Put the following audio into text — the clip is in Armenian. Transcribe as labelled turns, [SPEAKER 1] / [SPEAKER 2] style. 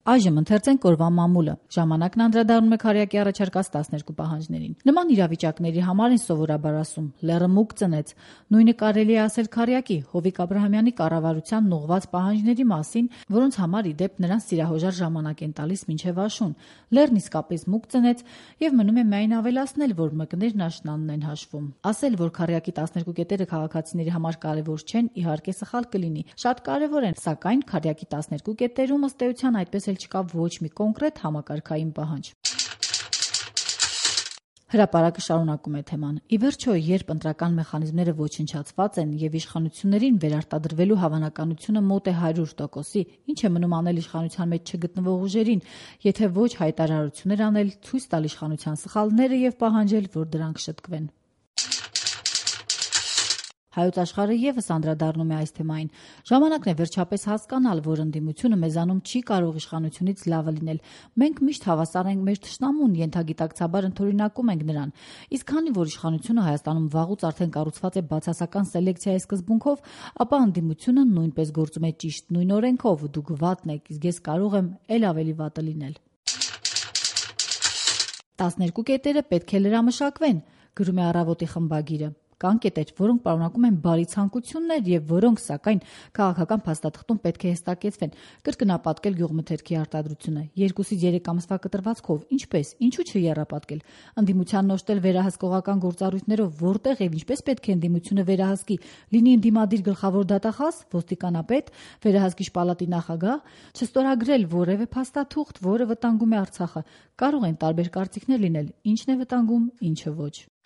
[SPEAKER 1] Այժմ ընթերցենք օրվա մամուլը։ Ժամանակն անդրադառնում է Քարյակի առաջարկած 12 պահանջներին։ Նման իրավիճակների համար են սովորաբար ասում՝ լեռը մուգ ծնեց։ Նույնը կարելի է ասել Քարյակի Հովիկ Աբրահամյանի կառավարությանն ուղղված պահանջների մասին, որոնց համար ի դեպ նրանց սիրահոժար ժամանակ են տալիս մինչև աշուն։ Լեռն իսկապես մուգ ծնեց եւ մնում է միայն ավելացնել, որ մկներն աշնանն են հաշվում։ Ասել, որ Քարյակի 12 կետերը քաղաքացիների համար կարևոր չեն, իհարկե սխալ կլինի։ Շատ կարևոր են, սակայն Քարյակի 12 կետերում ըստ էության այդպես չկա ոչ մի կոնկրետ համակարգային պահանջ։ Հրապարակը շարունակում է թեման։ Ի վերջո, երբ ընտրական մեխանիզմները ոչնչացված են եւ իշխանություններին վերարտադրվելու հավանականությունը մոտ է 100%-ի, ինչ է մնում անել իշխանության մեջ չգտնվող ուժերին, եթե ոչ հայտարարություններ անել, ցույց տալ իշխանության սխալները եւ պահանջել, որ դրանք շտկվեն։ Հայոց աշխարհը եւս անդրադառնում է այս թեմային։ Ժամանակն է վերջապես հասկանալ, որ ընդդիմությունը մեզանում չի կարող իշխանությունից լավը լինել։ Մենք միշտ հավասար ենք մեր թշնամուն, ենթագիտակցաբար ընդօրինակում ենք նրան։ Իսկ քանի որ իշխանությունը Հայաստանում վաղուց արդեն կառուցված է բացասական սելեկցիայի սկզբունքով, ապա ընդդիմությունը նույնպես գործում է ճիշտ նույն օրենքով։ Դուք վատն եք, իսկ ես կարող եմ էլ ավելի վատը լինել։ 12 կետերը պետք է լրամշակվեն, գրում է Առավոտի խմբագիրը։ Կան կետեր, որոնք պարունակում են բարի ցանկություններ եւ որոնք, սակայն, քաղաքական փաստաթղթում պետք է հստակեցվեն։ Կրկնապատկել գյուղմթերքի արտադրությունը 2-ից 3 ամսվա կտրվածքով, ինչպես, ինչու չեռապատկել։ Ընդդիմությանն օժտել վերահսկողական գործառույթներով, որտեղ եւ ինչպես պետք է ընդդիմությունը վերահսկի, լինի ընդդիմադիր գլխավոր դատախազ, ոստիկանապետ, վերահսկիչ պալատի նախագահ, չստորագրել որևէ փաստաթուղթ, որը վտանգում է Արցախը։ Կարող են տարբեր կարծիքներ լինել, ինչն է վտանգում, ինչը ոչ։